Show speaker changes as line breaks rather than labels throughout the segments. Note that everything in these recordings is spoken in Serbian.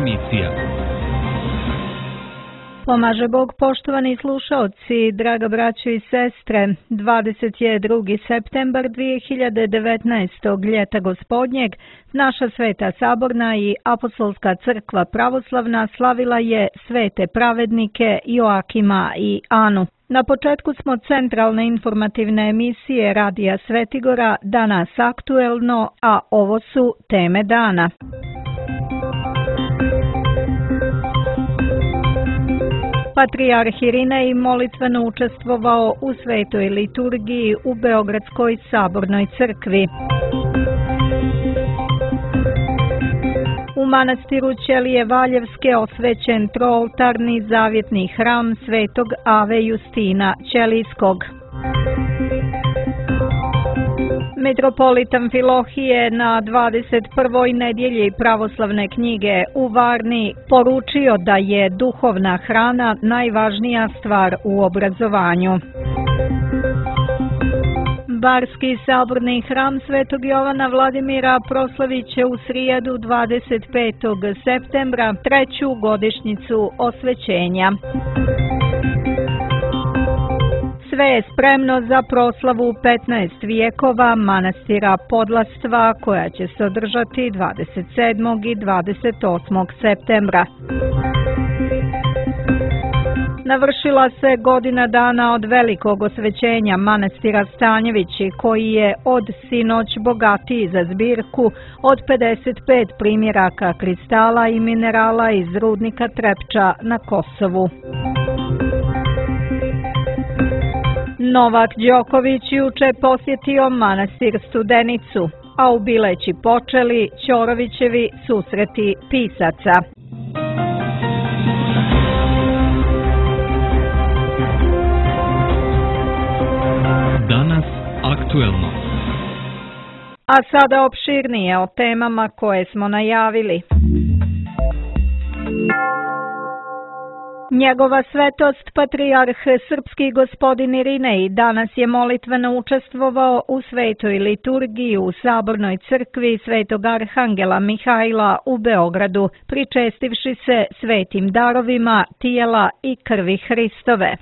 emisija.
Pomaže Bog, poštovani slušaoci, draga braćo i sestre, 22. septembar 2019. ljeta gospodnjeg, naša Sveta Saborna i Apostolska crkva pravoslavna slavila je svete pravednike Joakima i Anu. Na početku smo centralne informativne emisije Radija Svetigora, danas aktuelno, a ovo su teme dana. Patrijarh Irinej molitveno učestvovao u svetoj liturgiji u Beogradskoj sabornoj crkvi. U manastiru Ćelije Valjevske osvećen trooltarni zavjetni hram svetog Ave Justina Ćelijskog. Mitropolit Amfilohije na 21. nedjelji pravoslavne knjige u Varni poručio da je duhovna hrana najvažnija stvar u obrazovanju. Barski saborni hram Svetog Jovana Vladimira proslavit će u srijedu 25. septembra treću godišnjicu osvećenja. Sve je spremno za proslavu 15 vijekova manastira Podlastva koja će se održati 27. i 28. septembra. Navršila se godina dana od velikog osvećenja manastira Stanjevići koji je od sinoć bogatiji za zbirku od 55 primjeraka kristala i minerala iz rudnika Trepča na Kosovu. Novak Đoković juče posjetio manastir Studenicu, a u Bileći počeli Ćorovićevi susreti pisaca.
Danas aktuelno.
A sada opširnije o temama koje smo najavili. Njegova svetost, patrijarh srpski gospodin Irinej, danas je molitveno učestvovao u svetoj liturgiji u sabornoj crkvi Svetog Arhangela Mihajla u Beogradu, pričestivši se svetim darovima tijela i krvi Hristove.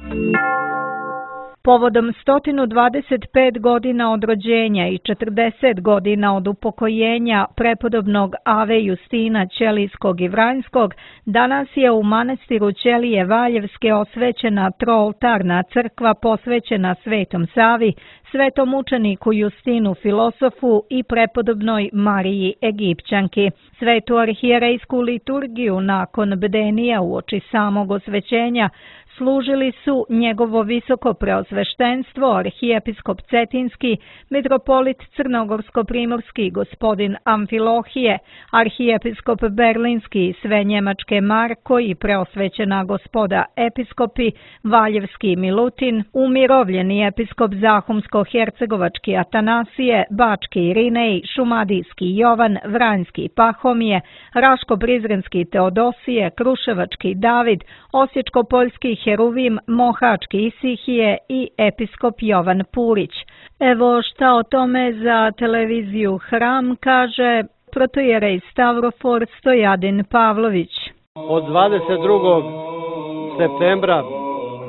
Povodom 125 godina od rođenja i 40 godina od upokojenja prepodobnog Ave Justina Ćelijskog i Vranjskog, danas je u manastiru Ćelije Valjevske osvećena trooltarna crkva posvećena Svetom Savi, svetom učeniku Justinu filosofu i prepodobnoj Mariji Egipćanki. Svetu arhijerejsku liturgiju nakon bdenija uoči samog osvećenja služili su njegovo visoko preosveštenstvo, arhijepiskop Cetinski, mitropolit Crnogorsko-primorski gospodin Amfilohije, arhijepiskop Berlinski i sve njemačke Marko i preosvećena gospoda episkopi, Valjevski Milutin, umirovljeni episkop Zahumsko-hercegovački Atanasije, Bački Irinej, Šumadijski Jovan, Vranjski Pahomije, Raško-Prizrenski Teodosije, Kruševački David, Osječko-poljski Heruvim, Mohački Isihije i episkop Jovan Purić. Evo šta o tome za televiziju Hram kaže protojerej Stavrofor Stojadin Pavlović.
Od 22. septembra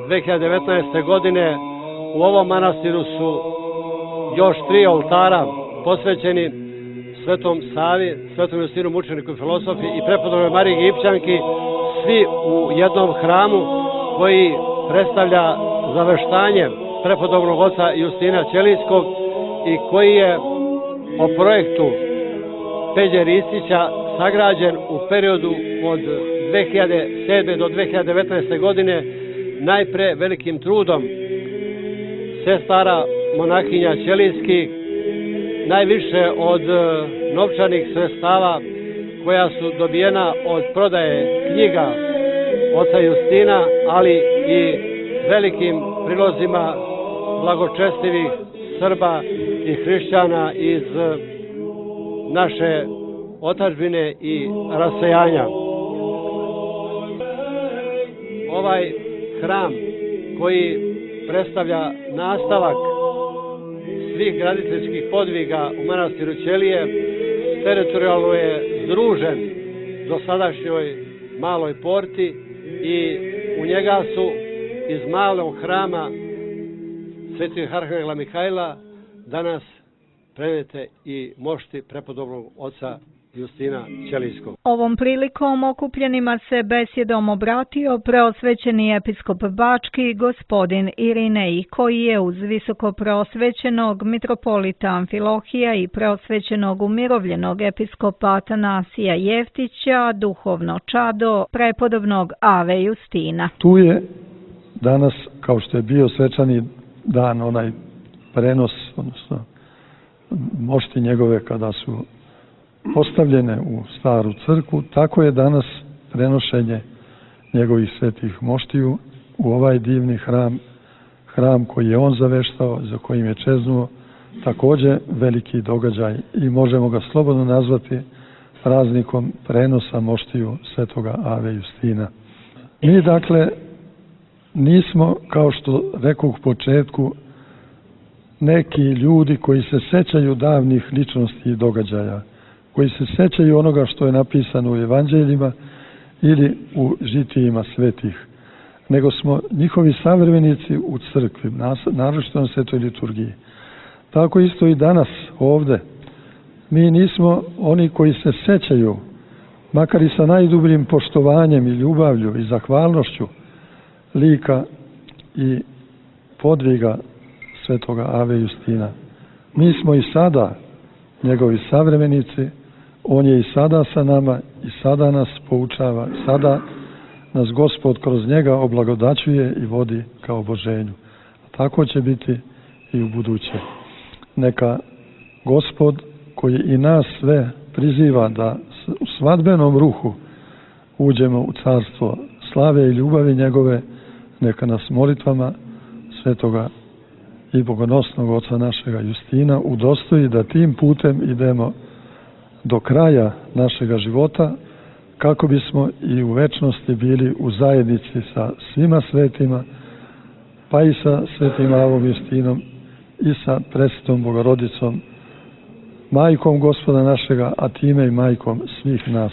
2019. godine u ovom manastiru su još 3 oltara posvećeni Svetom Savi, Svetom Justinu mučeniku i filosofi i prepodobnoj Mariji Egipćanki, svi u jednom hramu koji predstavlja zaveštanje prepodobnog oca Justina Ćelijskog i koji je po projektu Peđe Ristića sagrađen u periodu od 2007. do 2019. godine najpre velikim trudom sestara monahinja Ćelijskih, najviše od novčanih sredstava koja su dobijena od prodaje knjiga oca Justina, ali i velikim prilozima blagočestivih Srba i hrišćana iz naše otadžbine i rasejanja. Ovaj hram koji predstavlja nastavak svih graditeljskih podviga u manastiru Ćelije teritorijalno je združen dosadašnjoj Maloj Porti i u njega su iz malog hrama Svetog Arhangela Mihajla danas prenijete i mošti prepodobnog oca Justina Ćelijskog.
Ovom prilikom okupljenima se besjedom obratio preosvećeni episkop Bački gospodin Irinej, koji je uz visoko preosvećenog mitropolita Amfilohija i preosvećenog umirovljenog episkopa Atanasija Jeftića duhovno čado prepodobnog Ave Justina.
Tu je danas, kao što je bio svečani dan, onaj prenos, odnosno mošti njegove kada su postavljene u staru crkvu, tako je danas prenošenje njegovih svetih moštiju u ovaj divni hram koji je on zaveštao, za kojim je čeznuo, također veliki događaj i možemo ga slobodno nazvati praznikom prenosa moštiju svetoga Ave Justina. Mi dakle nismo, kao što rekao u početku, neki ljudi koji se sećaju davnih ličnosti i događaja, koji se sećaju onoga što je napisano u evanđeljima ili u žitijima svetih, nego smo njihovi savremenici u crkvi, naročito na svetoj liturgiji. Tako isto i danas ovde. Mi nismo oni koji se sećaju, makar i sa najdubljim poštovanjem i ljubavlju i zahvalnošću, lika i podviga svetoga Ave Justina. Mi smo i sada njegovi savremenici, on je i sada sa nama i sada nas poučava, sada nas Gospod kroz njega oblagodaćuje i vodi ka oboženju. Tako će biti i u buduće. Neka Gospod koji i nas sve priziva da u svadbenom ruhu uđemo u carstvo slave i ljubavi njegove, neka nas molitvama svetoga i bogonosnog oca našega Justina udostoji da tim putem idemo do kraja našega života, kako bismo i u večnosti bili u zajednici sa svima svetima, pa i sa svetim Avom Justinom i sa presvetom Bogorodicom, majkom Gospoda našega, a time i majkom svih nas.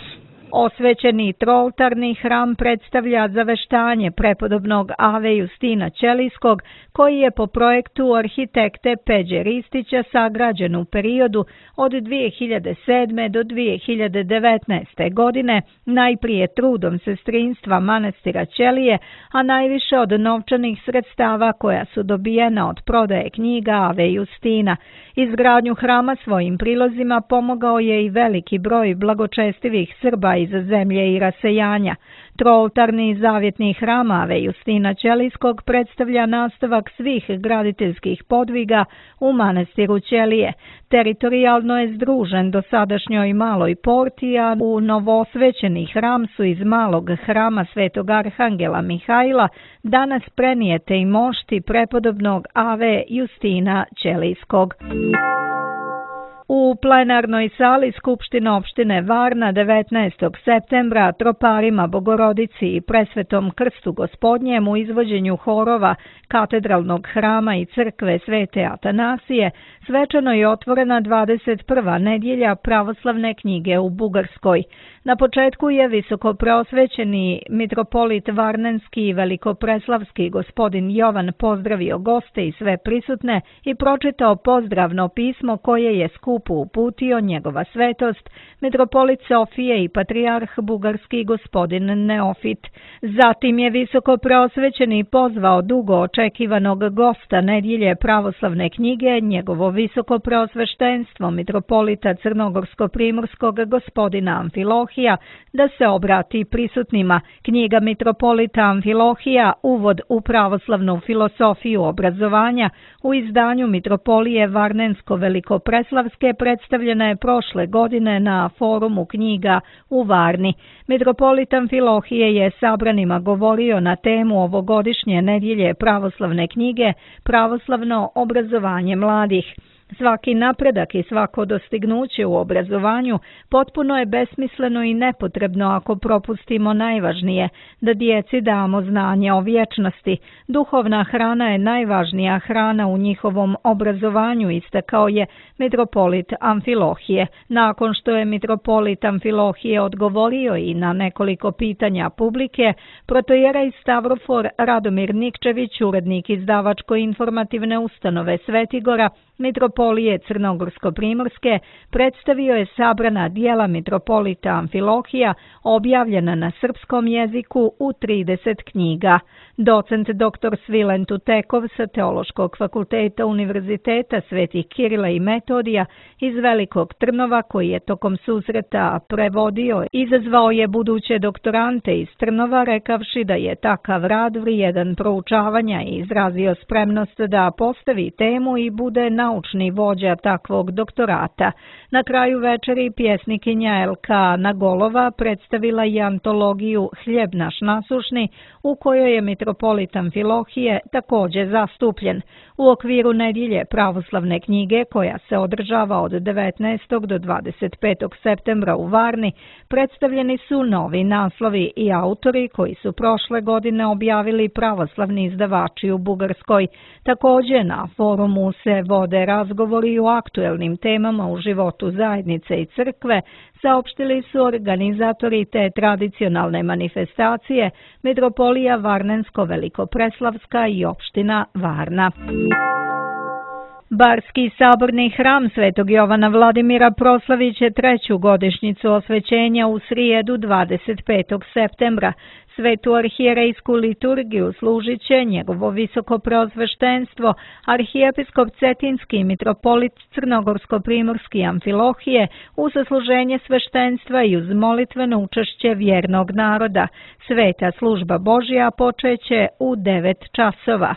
Osvećeni trooltarni hram predstavlja zaveštanje prepodobnog Ave Justina Ćelijskog, koji je po projektu arhitekte Peđe Ristića sagrađen u periodu od 2007. do 2019. godine, najprije trudom sestrinstva manastira Ćelije, a najviše od novčanih sredstava koja su dobijena od prodaje knjiga Ave Justina. Izgradnju hrama svojim prilozima pomogao je i veliki broj blagočestivih Srba iz zemlje i rasejanja. Trooltarni zavjetni hram Ave Justina Ćelijskog predstavlja nastavak svih graditeljskih podviga u manastiru Ćelije. Teritorijalno je združen dosadašnjoj Maloj Porti, a u novoosvećeni hram su iz malog hrama Svetog Arhangela Mihajla danas prenijete i mošti prepodobnog Ave Justina Ćelijskog. U plenarnoj sali Skupštine opštine Varna 19. septembra troparima Bogorodici i presvetom Krstu Gospodnjem u izvođenju horova katedralnog hrama i crkve Svete Atanasije svečano je otvorena 21. nedjelja pravoslavne knjige u Bugarskoj. Na početku je visoko preosvećeni mitropolit Varnenski i velikopreslavski gospodin Jovan pozdravio goste i sve prisutne i pročitao pozdravno pismo koje je skupu uputio njegova svetost, mitropolit Sofije i patrijarh bugarski gospodin Neofit. Zatim je visoko preosvećeni pozvao dugo očekivanog gosta nedjelje pravoslavne knjige, njegovo visoko preosveštenstvo mitropolita Crnogorsko-primorskog gospodina Amfilohija, da se obrati prisutnima. Knjiga mitropolita Amfilohija, uvod u pravoslavnu filosofiju obrazovanja, u izdanju mitropolije Varnensko-velikopreslavske predstavljena je prošle godine na forumu knjiga u Varni. Mitropolit Amfilohije je sabranima govorio na temu ovogodišnje nedjelje pravoslavne knjige Pravoslavno obrazovanje mladih. Svaki napredak i svako dostignuće u obrazovanju potpuno je besmisleno i nepotrebno ako propustimo najvažnije, da djeci damo znanje o vječnosti. Duhovna hrana je najvažnija hrana u njihovom obrazovanju, istakao je mitropolit Amfilohije. Nakon što je mitropolit Amfilohije odgovorio i na nekoliko pitanja publike, protojerej Stavrofor Radomir Nikčević, urednik izdavačko-informativne ustanove Svetigora, mitropolije Crnogorsko-primorske, predstavio je sabrana dijela mitropolita Amfilohija objavljena na srpskom jeziku u 30 knjiga. Docent dr. Svilen Tutekov sa Teološkog fakulteta Univerziteta Svetih Kirila i Metodija iz Velikog Trnova, koji je tokom susreta prevodio, izazvao je buduće doktorante iz Trnova, rekavši da je takav rad vrijedan proučavanja i izrazio spremnost da postavi temu i bude naučni vođa takvog doktorata. Na kraju večeri pjesnikinja Elka Nagolova predstavila je antologiju Hljeb naš nasušni, u kojoj je mitropolit Amfilohije također zastupljen. U okviru nedjelje pravoslavne knjige, koja se održava od 19. do 25. septembra u Varni, predstavljeni su novi naslovi i autori koji su prošle godine objavili pravoslavni izdavači u Bugarskoj. Također na forumu se vode razgovori o aktuelnim temama u životu zajednice i crkve, saopštili su organizatori te tradicionalne manifestacije Mitropolija Varnensko-Velikopreslavska i opština Varna. Barski saborni hram Svetog Jovana Vladimira proslavit će 3. godišnjicu osvećenja u srijedu 25. septembra. Svetu arhijerejsku liturgiju služit će njegovo visoko preosveštenstvo, arhijepiskop Cetinski i mitropolit Crnogorsko-primorski Amfilohije uz zasluženje sveštenstva i uz molitveno učešće vjernog naroda. Sveta služba Božja počeće u 9 časova.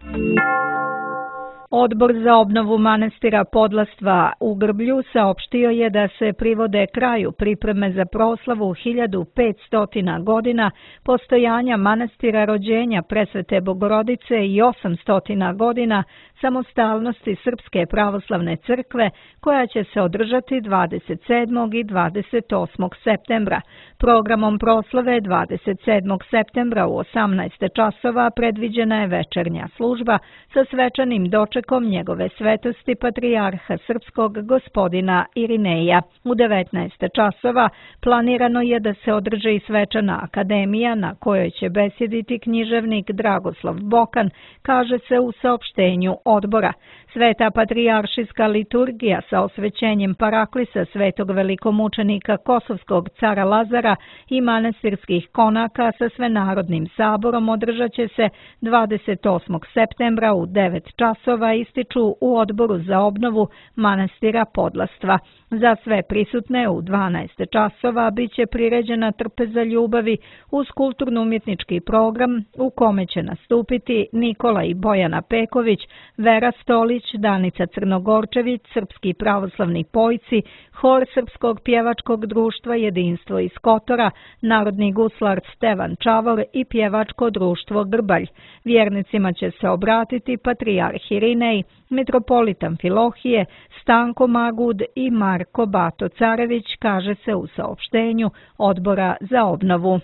Odbor za obnovu manastira Podlastva u Grblju saopštio je da se privode kraju pripreme za proslavu 1500 godina postojanja manastira rođenja Presvete Bogorodice i 800 godina samostalnosti Srpske pravoslavne crkve, koja će se održati 27. i 28. septembra. Programom proslave 27. septembra u 18 časova predviđena je večernja služba sa svečanim dočekom njegove svetosti patrijarha srpskog gospodina Irineja. U 19 časova planirano je da se održi i svečana akademija na kojoj će besjediti književnik Dragoslav Bokan, kaže se u saopštenju odbora. Sveta patrijaršijska liturgija sa osvećenjem paraklisa svetog velikomučenika Kosovskog cara Lazara i manastirskih konaka sa svenarodnim saborom održat će se 28. septembra u 9 časova, ističu u odboru za obnovu manastira Podlastva. Za sve prisutne u 12 časova bit će priređena trpeza ljubavi uz kulturno-umjetnički program u kome će nastupiti Nikola i Bojana Peković, Vera Stolić, Danica Crnogorčević, srpski pravoslavni pojci, hor Srpskog pjevačkog društva Jedinstvo iz Kotora, narodni guslar Stevan Čavor i pjevačko društvo Grbalj. Vjernicima će se obratiti patrijarh Irinej, mitropolit Amfilohije, Stanko Magud i Marko Bato Carević, kaže se u saopštenju odbora za obnovu.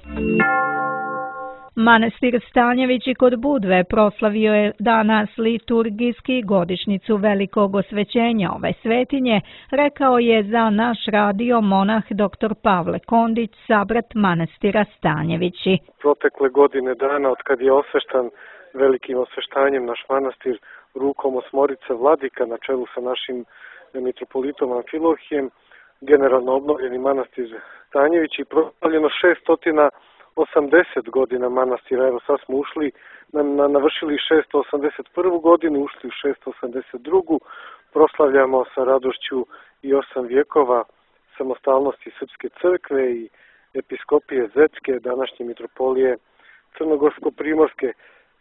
Manastir Stanjevići kod Budve proslavio je danas liturgijski godišnjicu velikog osvećenja ove svetinje, rekao je za naš radio monah dr. Pavle Kondić, sabrat manastira Stanjevići.
Protekle godine dana od kad je osveštan velikim osveštanjem naš manastir rukom osmorice vladika na čelu sa našim mitropolitom Amfilohijem, generalno obnovljeni manastir Stanjevići, proslavljeno 680 godina manastira. Evo sad smo ušli, navršili 681. godinu, ušli u 682. Proslavljamo sa radošću i 8 vjekova samostalnosti Srpske crkve i episkopije Zetske, današnje mitropolije Crnogorsko-primorske.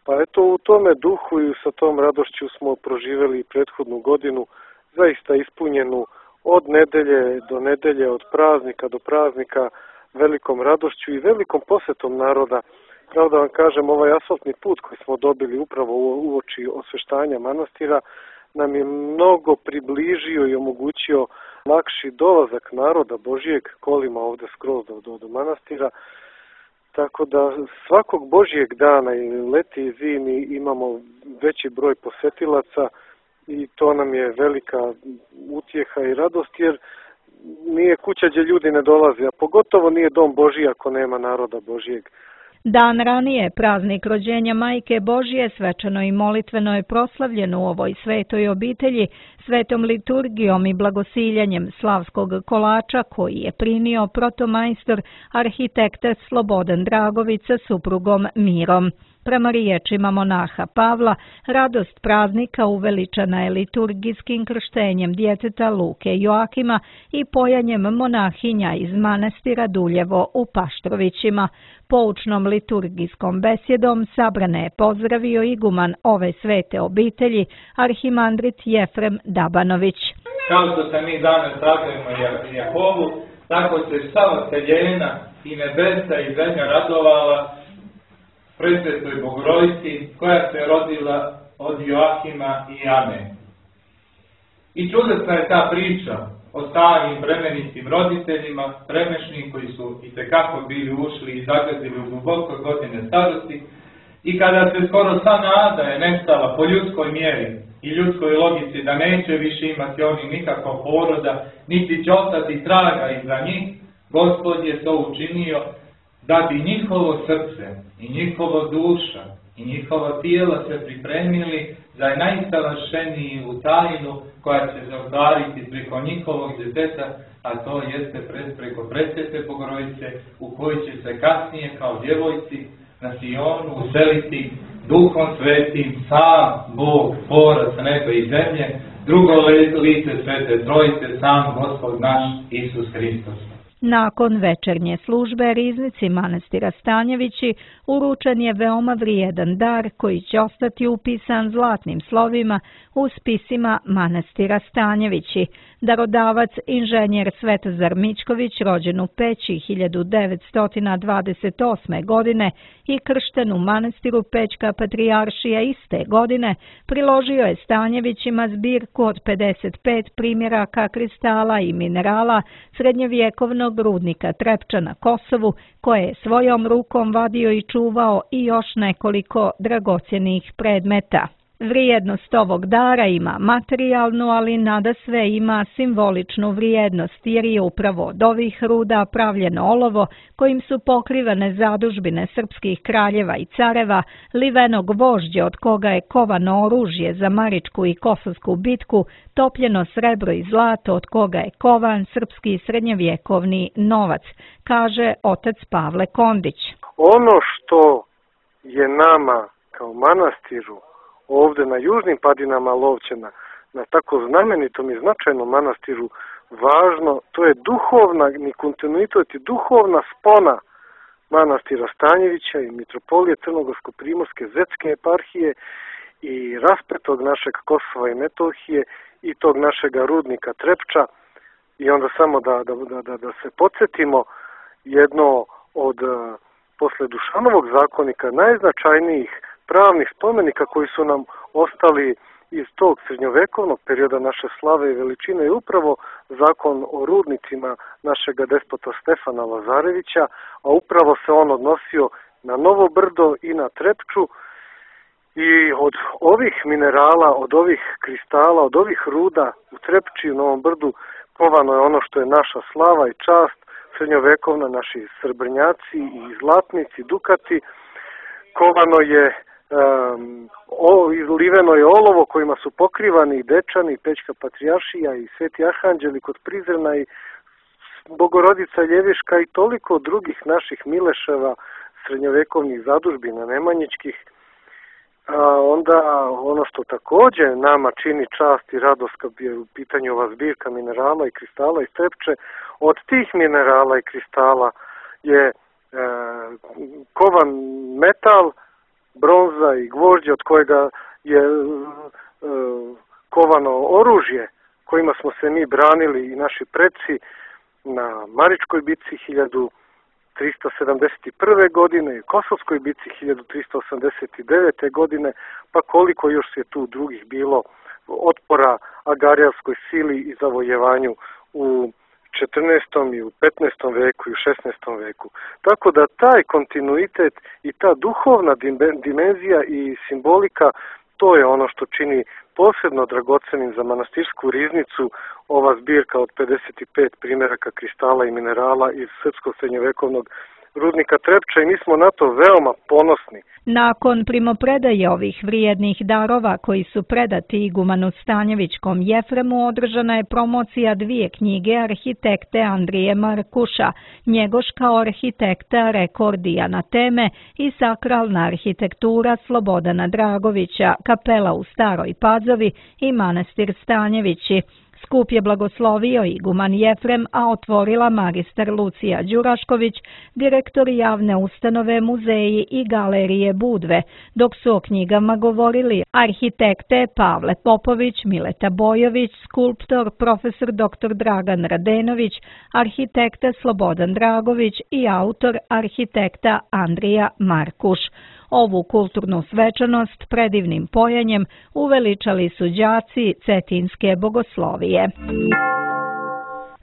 Pa eto, u tome duhu i sa tom radošću smo proživjeli prethodnu godinu, zaista ispunjenu od nedelje do nedelje, od praznika do praznika, velikom radošću i velikom posjetom naroda. Pravo da vam kažem, ovaj asfaltni put koji smo dobili upravo uoči osveštanja manastira nam je mnogo približio i omogućio lakši dolazak naroda Božijeg kolima ovde skroz do manastira. Tako da svakog Božijeg dana i leti i zimi imamo veći broj posetilaca i to nam je velika utjeha i radost, jer nije kuća gdje ljudi ne dolaze, a pogotovo nije dom Božji ako nema naroda Božijeg.
Dan ranije, praznik rođenja Majke Božije, svečano i molitveno je proslavljen u ovoj svetoj obitelji, svetom liturgijom i blagosiljanjem slavskog kolača koji je primio protomajstor arhitekta Slobodan Dragović sa suprugom Mirom. Prema riječima monaha Pavla, radost praznika uveličana je liturgijskim krštenjem djeteta Luke Joakima i pojanjem monahinja iz manastira Duljevo u Paštrovićima. Poučnom liturgijskom besjedom sabrane je pozdravio iguman ove svete obitelji, arhimandrit Jefrem Dabanović.
Kao što se mi danas radujemo Jehovu, tako se sva celina i nebesa i zemlja radovala presvetoj Bogorodici koja se rodila od Joakima i Ane. I čudesna je ta priča o starim bremenitim roditeljima, premešnim koji su itekako bili ušli i zagazili u duboko godine starosti, i kada se skoro sva nada je nestala po ljudskoj mjeri i ljudskoj logici da neće više imati oni nikakvog poroda, niti će ostati traga iza njih, Gospod je to učinio da bi njihovo srce i njihova duša i njihova tijela se pripremili za najsavršeniju tajnu koja će se ostvariti preko njihovog djeteta, a to jeste preko presvete Bogorodice, u kojoj će se kasnije kao djevojci na Sionu useliti Duhom Svetim sam Bog, tvorac neba i zemlje, drugo lice Svete Trojice, sam Gospod naš Isus Hristos.
Nakon večernje službe riznici manastira Stanjevići uručen je veoma vrijedan dar koji će ostati upisan zlatnim slovima u spisima manastira Stanjevići. Darodavac inženjer Svetozar Mičković, rođen u Peći 1928. godine i kršten u manastiru Pećka patrijaršija iste godine, priložio je Stanjevićima zbirku od 55 primjeraka kristala i minerala srednjevjekovnog rudnika Trepča na Kosovu, koje je svojom rukom vadio i čuvao, i još nekoliko dragocjenih predmeta. Vrijednost ovog dara ima materijalnu, ali nadasve ima simboličnu vrijednost, jer je upravo od ovih ruda pravljeno olovo kojim su pokrivane zadužbine srpskih kraljeva i careva, liveno gvožđe od koga je kovano oružje za Maričku i Kosovsku bitku, topljeno srebro i zlato od koga je kovan srpski srednjevjekovni novac, kaže otac Pavle Kondić.
Ono što je nama kao manastiru ovde na južnim padinama Lovćena, na tako znamenitom i značajnom manastiru, važno, to je duhovna, ni kontinuitet i duhovna spona manastira Stanjevića i mitropolije Crnogorsko-primorske Zetske eparhije i raspetog našeg Kosova i Metohije i tog našega rudnika Trepča. I onda samo da se podsjetimo, jedno od posle Dušanovog zakonika najznačajnijih pravnih spomenika koji su nam ostali iz tog srednjovekovnog perioda naše slave i veličine je upravo zakon o rudnicima našega despota Stefana Lazarevića, a upravo se on odnosio na Novo Brdo i na Trepču. I od ovih minerala, od ovih kristala, od ovih ruda u Trepči i u Novom Brdu kovano je ono što je naša slava i čast srednjovekovna, naši srebrnjaci i zlatnici, dukati. Kovano je liveno je olovo kojima su pokrivani i Dečani, Pećka patrijaršija i Sveti Arhanđeli kod Prizrena i Bogorodica Ljeviška i toliko drugih naših mileševa, srednjovekovnih zadužbina nemanjičkih. Onda ono što također nama čini čast i radost kad je u pitanju ova zbirka minerala i kristala iz Trepče, od tih minerala i kristala je kovan metal, bronza i gvožđe od kojega je kovano oružje kojima smo se mi branili i naši preci na Maričkoj bitci 1371. godine i Kosovskoj bitci 1389. godine, pa koliko još je tu drugih bilo otpora agarijevskoj sili i zavojevanju u 14. i u 15. veku i u 16. veku. Tako da taj kontinuitet i ta duhovna dimenzija i simbolika, to je ono što čini posebno dragocenim za manastirsku riznicu ova zbirka od 55 primjeraka kristala i minerala iz srpskog srednjovekovnog rudnika Trepča i mi smo na to veoma ponosni.
Nakon primopredaje ovih vrijednih darova koji su predati igumanu Stanjevićkom Jefremu, održana je promocija 2 knjige arhitekte Andrije Markuša, Njegoš kao arhitekta, rekordija na teme i sakralna arhitektura Slobodana Dragovića, kapela u Staroj Pazovi i manastir Stanjevići. Skup je blagoslovio iguman Jefrem, a otvorila magistar Lucija Đurašković, direktor javne ustanove Muzeji i galerije Budve, dok su o knjigama govorili arhitekte Pavle Popović, Mileta Bojović, skulptor profesor dr. Dragan Radenović, arhitekta Slobodan Dragović i autor arhitekta Andrija Markuš. Ovu kulturnu svečanost predivnim pojanjem uveličali su đaci Cetinske bogoslovije.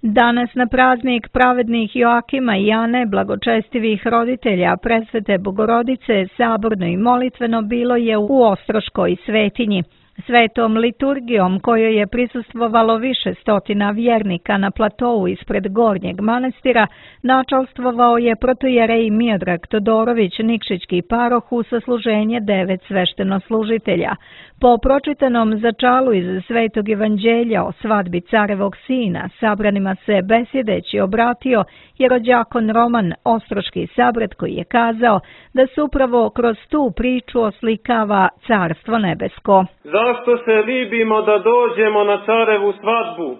Danas na praznik pravednih Joakima i Ane, blagočestivih roditelja Presvete Bogorodice, saborno i molitveno bilo je u Ostroškoj svetinji. Svetom liturgijom kojoj je prisustvovalo više stotina vjernika na platou ispred Gornjeg manastira, načalstvovao je protojerej Miodrag Todorović, Nikšićki paroh u sasluženje 9 sveštenoslužitelja. Po pročitanom začalu iz Svetog evanđelja o svadbi carevog sina, sabranima se besjedeći obratio jerođakon Roman, ostroški sabrat, koji je kazao da se upravo kroz tu priču oslikava Carstvo nebesko.
Zašto se libimo da dođemo na carevu svadbu,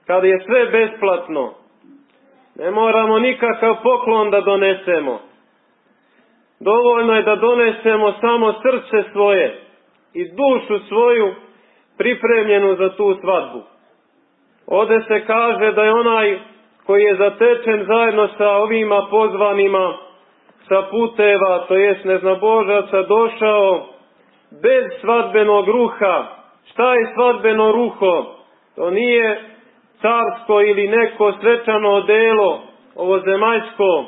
kad je sve besplatno? Ne moramo nikakav poklon da donesemo. Dovoljno je da donesemo samo srce svoje i dušu svoju pripremljenu za tu svadbu. Ovde se kaže da je onaj koji je zatečen zajedno sa ovima pozvanima sa puteva, to jest neznabožaca, došao bez svadbenog ruha. Šta je svadbeno ruho? To nije carsko ili neko svečano odelo, ovozemaljsko.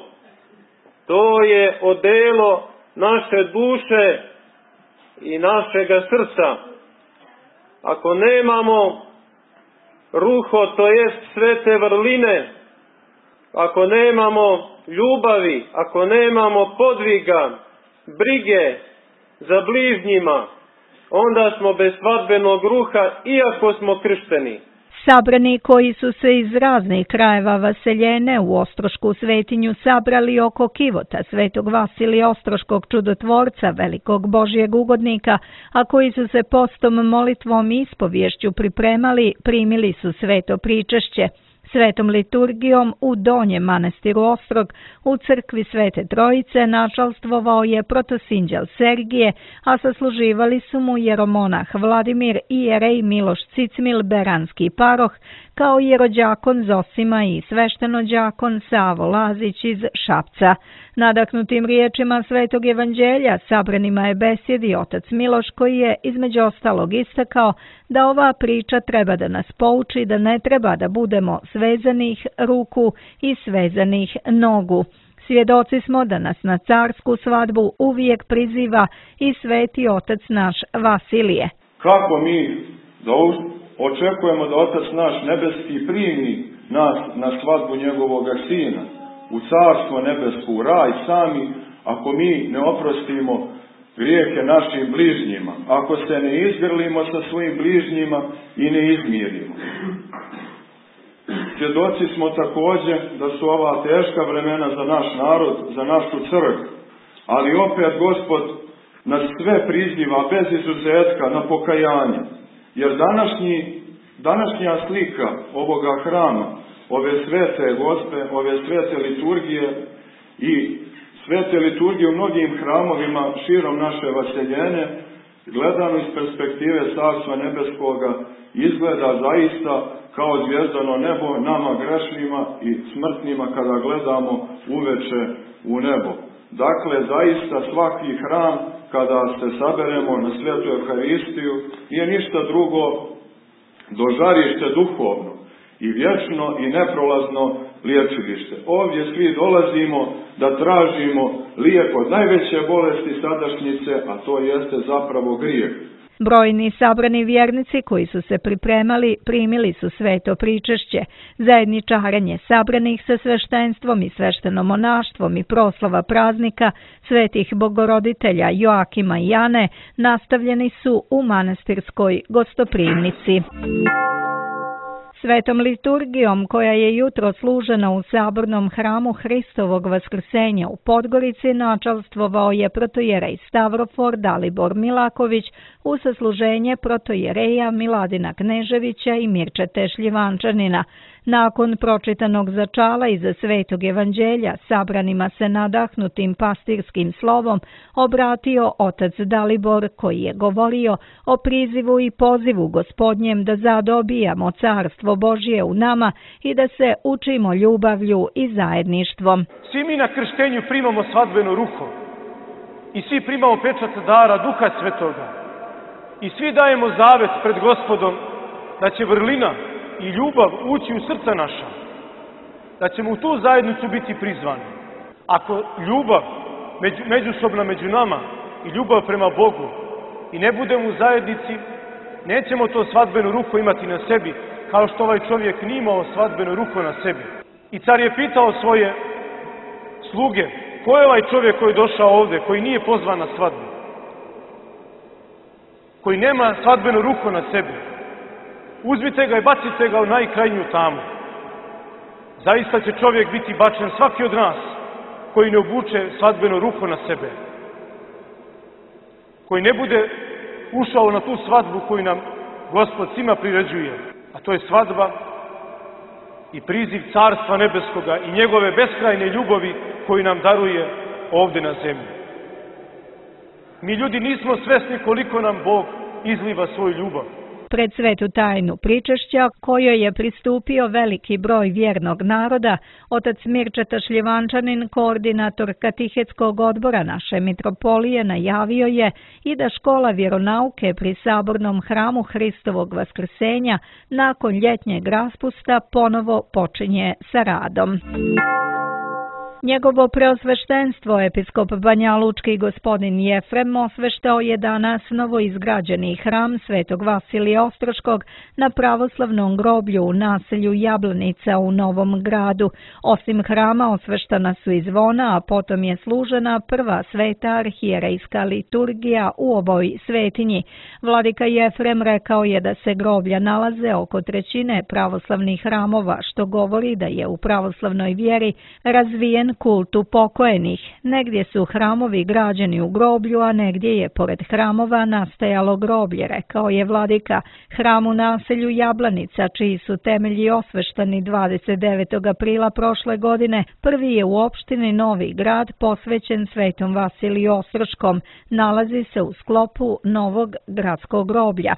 To je odelo naše duše i našega srca. Ako nemamo ruho, to jest svete vrline, ako nemamo ljubavi, ako nemamo podviga, brige za bližnjima, onda smo bez svadbenog ruha, iako smo kršteni.
Sabrani koji su se iz raznih krajeva vaseljene u Ostrošku svetinju sabrali oko kivota Svetog Vasilija Ostroškog čudotvorca, velikog Božjeg ugodnika, a koji su se postom, molitvom i ispovješću pripremali, primili su sveto pričešće. Svetom liturgijom u Donjem manastiru Ostrog u crkvi Svete Trojice načalstvovao je protosinđel Sergije, a sasluživali su mu jeromonah Vladimir i jerej Miloš Cicmil, beranski paroh, kao jerođakon Zosima i sveštenođakon Savo Lazić iz Šapca. Nadahnutim riječima Svetog evanđelja sabranima je besjedi otac Miloš, koji je između ostalog istakao da ova priča treba da nas pouči da ne treba da budemo svezanih ruku i svezanih nogu. Svjedoci smo da nas na carsku svadbu uvijek priziva i sveti otac naš Vasilije.
Kako mi očekujemo da otac naš nebeski primi nas na svadbu njegovog sina, u carstvo nebesko, u raj sami, ako mi ne oprostimo grijehe našim bližnjima, ako se ne izgrlimo sa svojim bližnjima i ne izmirimo. Svjedoci smo također da su ova teška vremena za naš narod, za našu crkvu, ali opet Gospod nas sve priziva bez izuzetka na pokajanje, jer današnja slika ovoga hrama, ove svete gospe, ove svete liturgije i svete liturgije u mnogim hramovima širom naše vaseljene, gledano iz perspektive Carstva nebeskoga, izgleda zaista kao zvijezdano nebo nama grešnima i smrtnima kada gledamo uveče u nebo. Dakle, zaista svaki hram, kada se saberemo na Svetu Euharistiju, nije ništa drugo do žarište duhovno i vječno i neprolazno liječilište. Ovdje svi dolazimo da tražimo lijek od najveće bolesti sadašnjice, a to jeste zapravo grijeh.
Brojni sabrani vjernici koji su se pripremali primili su sveto pričešće, zajedničarenje sabranih sa sveštenstvom i sveštenomonaštvom i proslava praznika svetih bogoroditelja Joakima i Jane nastavljeni su u manastirskoj gostoprimnici. Svetom liturgijom koja je jutro služena u sabornom hramu Hristovog vaskrsenja u Podgorici načalstvovao je protojerej Stavrofor Dalibor Milaković u sasluženje protojereja Miladina Kneževića i Mirčete Šljivančanina. Nakon pročitanog začala iza Svetog evanđelja sabranima se nadahnutim pastirskim slovom obratio otac Dalibor koji je govorio o prizivu i pozivu Gospodnjem da zadobijamo carstvo Božje u nama i da se učimo ljubavlju i zajedništvom.
Svi mi na krštenju primamo svadbenu ruku i svi primamo pečat dara Duha Svetoga i svi dajemo zavet pred Gospodom da će vrlina i ljubav ući u srca naša, da ćemo u tu zajednicu biti prizvani. Ako ljubav međusobna među nama i ljubav prema Bogu i ne budemo u zajednici, nećemo to svadbenu ruku imati na sebi, kao što ovaj čovjek nije imao svadbenu ruku na sebi. I car je pitao svoje sluge, ko je ovaj čovjek koji je došao ovdje, koji nije pozvan na svadbu, koji nema svadbenu ruku na sebi? Uzmite ga i bacite ga u najkrajnju tamu. Zaista će čovjek biti bačen, svaki od nas, koji ne obuče svadbenu ruku na sebe. Koji ne bude ušao na tu svadbu koju nam Gospod svima priređuje. A to je svadba i priziv Carstva Nebeskoga i njegove beskrajne ljubavi koju nam daruje ovdje na zemlji. Mi ljudi nismo svesni koliko nam Bog izliva svoju ljubav.
Pred svetu tajnu pričešća, kojoj je pristupio veliki broj vjernog naroda, otac Mirčeta Šljivančanin, koordinator katehetskog odbora naše mitropolije, najavio je i da škola vjeronauke pri sabornom hramu Hristovog vaskrsenja nakon ljetnjeg raspusta ponovo počinje sa radom. Njegovo preosveštenstvo, episkop Banjalučki gospodin Jefrem, osveštao je danas novoizgrađeni hram Svetog Vasilija Ostroškog na pravoslavnom groblju u naselju Jablanica u Novom Gradu. Osim hrama osveštana su i zvona, a potom je služena prva sveta arhijerejska liturgija u ovoj svetinji. Vladika Jefrem rekao je da se groblja nalaze oko trećine pravoslavnih hramova, što govori da je u pravoslavnoj vjeri razvijen kultu pokojnih. Negdje su hramovi građeni u groblju, a negdje je pored hramova nastajalo groblje, rekao je vladika. Hram u naselju Jablanica, čiji su temelji osveštani 29. aprila prošle godine, prvi je u opštini Novi Grad posvećen Svetom Vasiliju Ostroškom. Nalazi se u sklopu novog gradskog groblja.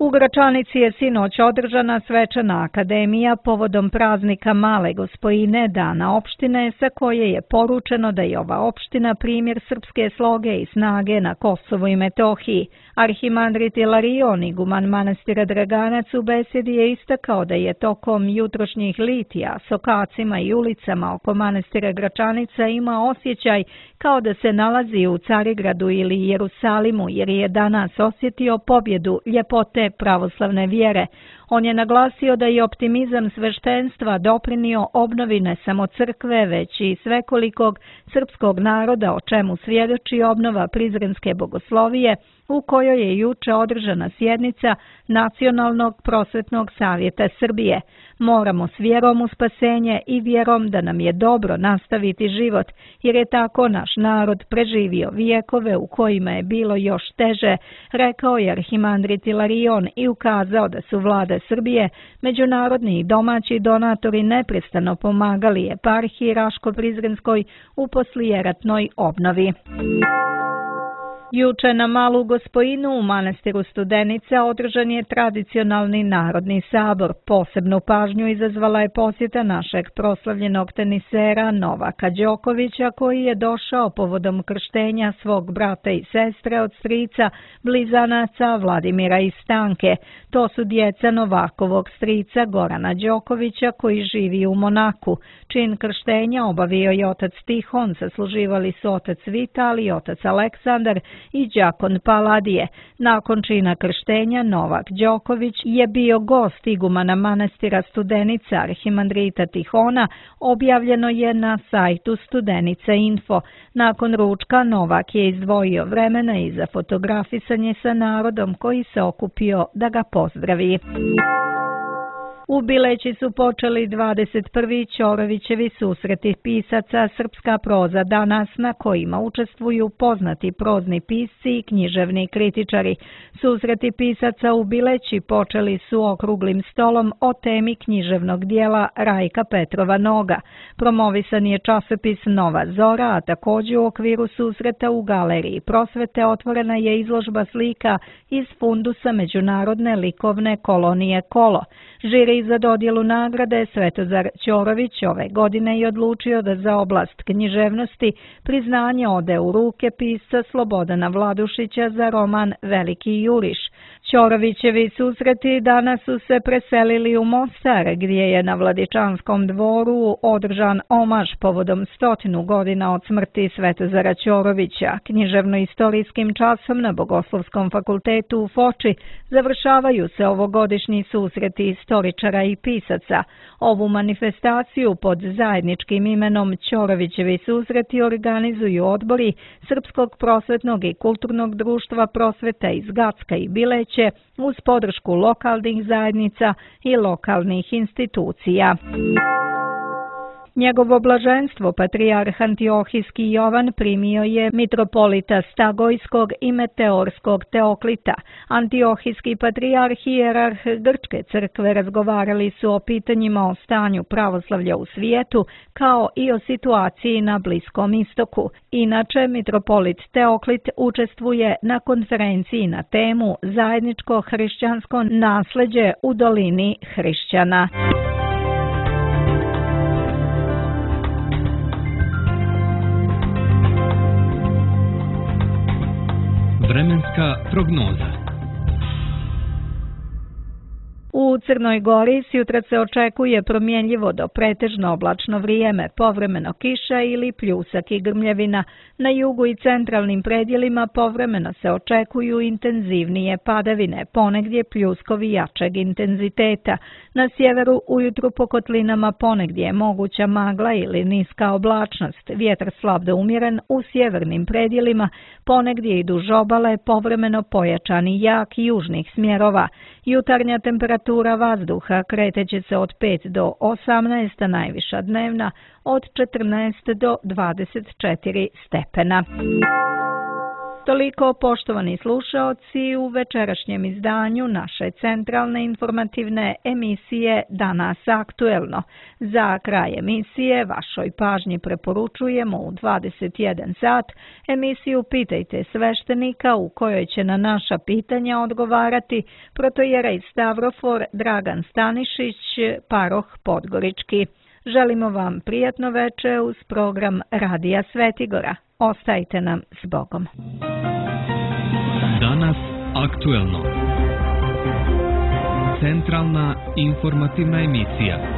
U Gračanici je sinoć održana svečana akademija povodom praznika Male Gospojine, dana opštine, sa koje je poručeno da je ova opština primjer srpske sloge i snage na Kosovu i Metohiji. Arhimandrit Ilarion, iguman manastira Draganac, u besedi je istakao da je tokom jutrošnjih litija s okacima i ulicama oko manastira Gračanica ima osjećaj kao da se nalazi u Carigradu ili Jerusalimu, jer je danas osjetio pobjedu ljepote pravoslavne vjere. On je naglasio da je optimizam sveštenstva doprinio obnovi ne samo crkve, već i svekolikog srpskog naroda, o čemu svjedoči obnova Prizrenske bogoslovije, u kojoj je juče održana sjednica Nacionalnog prosvetnog savjeta Srbije. Moramo s vjerom u spasenje i vjerom da nam je dobro nastaviti život, jer je tako naš narod preživio vijekove u kojima je bilo još teže, rekao je arhimandrit Ilarion i ukazao da su vlada Srbije, međunarodni i domaći donatori neprestano pomagali eparhiji Raško-Prizrenskoj u poslijeratnoj obnovi. Juče na Malu Gospojinu u manastiru Studenica održan je tradicionalni narodni sabor. Posebnu pažnju izazvala je posjeta našeg proslavljenog tenisera Novaka Đokovića, koji je došao povodom krštenja svog brata i sestre od strica blizanaca Vladimira i Stanke. To su djeca Novakovog strica Gorana Đokovića, koji živi u Monaku. Čin krštenja obavio je otac Tihon, sasluživali su otac Vital i otac Aleksandar i đakon Paladije. Nakon čina krštenja Novak Đoković je bio gost igumana manastira Studenica arhimandrita Tihona, objavljeno je na sajtu Studenica Info. Nakon ručka Novak je izdvojio vremena i za fotografisanje sa narodom koji se okupio da ga pozdravi. U Bileći su počeli 21. Ćorovićevi susreti pisaca Srpska proza danas, na kojima učestvuju poznati prozni pisci i književni kritičari. Susreti pisaca u Bileći počeli su okruglim stolom o temi književnog dijela Rajka Petrova Noga. Promovisan je časopis Nova Zora, a također u okviru susreta u Galeriji Prosvete otvorena je izložba slika iz fundusa Međunarodne likovne kolonije Kolo. Žiri za dodjelu nagrade Svetozar Ćorović ove godine je odlučio da za oblast književnosti priznanje ode u ruke pisca Slobodana Vladušića za roman Veliki juriš. Ćorovićevi susreti danas su se preselili u Mostar, gdje je na Vladičanskom dvoru održan omaž povodom 100 godina od smrti Svetozara Ćorovića. Književno-istorijskim časom na Bogoslovskom fakultetu u Foči završavaju se ovogodišnji susreti istoričara i pisaca. Ovu manifestaciju pod zajedničkim imenom Ćorovićevi susreti organizuju odbori Srpskog prosvetnog i kulturnog društva Prosveta iz Gacka i Bileće uz podršku lokalnih zajednica i lokalnih institucija. Njegovo blaženstvo, patrijarh Antiohijski Jovan, primio je mitropolita Stagojskog i Meteorskog Teoklita. Antiohijski patrijarh i hijerarh Grčke crkve razgovarali su o pitanjima o stanju pravoslavlja u svijetu, kao i o situaciji na Bliskom istoku. Inače, mitropolit Teoklit učestvuje na konferenciji na temu Zajedničko hrišćansko nasleđe u dolini hrišćana.
Vremenska prognoza.
U Crnoj Gori sjutra se očekuje promjenljivo do pretežno oblačno vrijeme, povremeno kiša ili pljusak i grmljevina. Na jugu i centralnim predjelima povremeno se očekuju intenzivnije padavine, ponegdje pljuskovi jačeg intenziteta. Na sjeveru ujutru po kotlinama ponegdje je moguća magla ili niska oblačnost, vjetar slab do umjeren u sjevernim predjelima, ponegdje i duž obale povremeno pojačani jak južnih smjerova. Jutarnja temperatura vazduha kreteće se od 5 do 18, a najviša dnevna od 14 do 24 stepena. Toliko, poštovani slušaoci, u večerašnjem izdanju naše centralne informativne emisije Danas aktuelno. Za kraj emisije vašoj pažnji preporučujemo u 21 sat emisiju Pitajte sveštenika, u kojoj će na naša pitanja odgovarati protojerej Stavrofor Dragan Stanišić, paroh Podgorički. Želimo vam prijatno veče uz program Radija Svetigora. Ostajte nam s Bogom.
Danas aktuelno. Centralna informativna emisija.